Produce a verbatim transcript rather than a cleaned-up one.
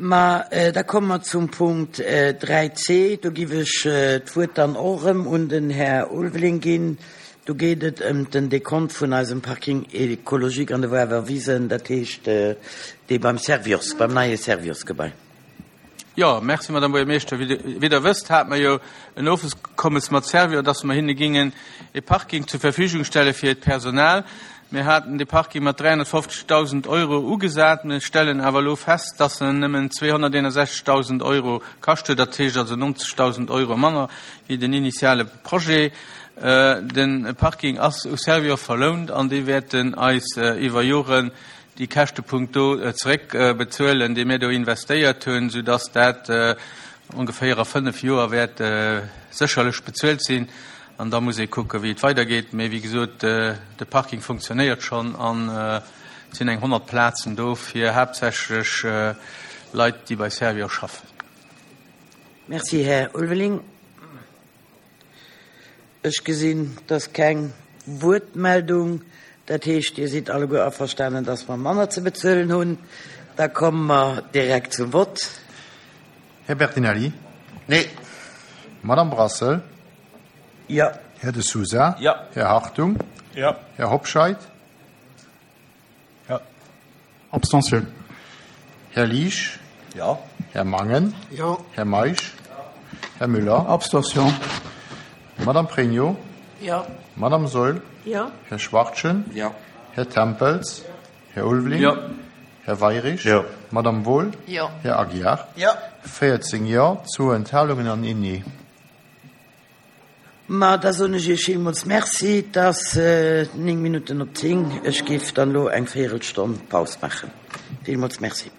Ma da komme mer zum Punkt dräi C. Do giff ech d'Wuert dann och erëm un den Här Ulveling ginn. Do geet et ëm den Dekont vun eisem Parking écologique an de Woarwer Wisen, dat heescht dee beim Servior, beim neie Servior-Gebai. Jo, merci, Madame Buergermeeschter. Wéi Der wësst, hate mer jo en Ofkommes mat Servior, dass mer hinne gingen e Parking zur Verfügung stelle fir hiert Personal. Mir haten dee Parking mat dräihonnertfofzegdausend Euro ugesat. Mir stellen awer elo fest, dass en nëmmen zweehonnerteenundsechzegdausend Euro kascht huet, dat heescht also nonzegdausend Euro manner wéi den initiale Projet. De Parking ass u Servior verlount an déi wäerten eis iwwer Joren déi Käschtepunkt do zeréck bezuelen, dee mir do investéiert hunn, soudass dat ongeféier a fënnef Joer wäert sécherlech bezuelt sinn. An da muss ee kucken, wéi et weidergeet. Mee wéi gesot, de Parking funktionéiert schonn an et sinn eng honnert Plazen do fir haaptsächlech Leit, déi bei Servior schaffen. Merci, Här Ulveling. Ech gesinn, dass keng Wuertmeldung. Dat heescht, Dir sidd alleguer averstanen, dass mer manner ze bezuelen hunn. Da komme mer direkt zum Vott. Här Bertinelli? Nee. Madame Brassel? Jo. Här De Sousa? Jo. Här Hartung? Jo. Här Hobscheit? Jo. Abstention. Här Liesch? Jo. Här Mangen? Jo. Här Meisch? Här Müller? Abstention. Madame Pregno? Jo. Madame Saeul? Jo. Här Schwachtgen? Jo. Här Tempels? Här Ulveling? Jo. Här Weirich? Jo. Madame Wohl? Jo. Här Aguiar? Jo. véierzéng Jo, zwou Enthalungen an een Nee. Ma da soen ech Iech villmools Merci. Et ass néng Minutten op zéng. Ech géif dann elo eng Véierelstonn Paus maachen. Villmools Merci.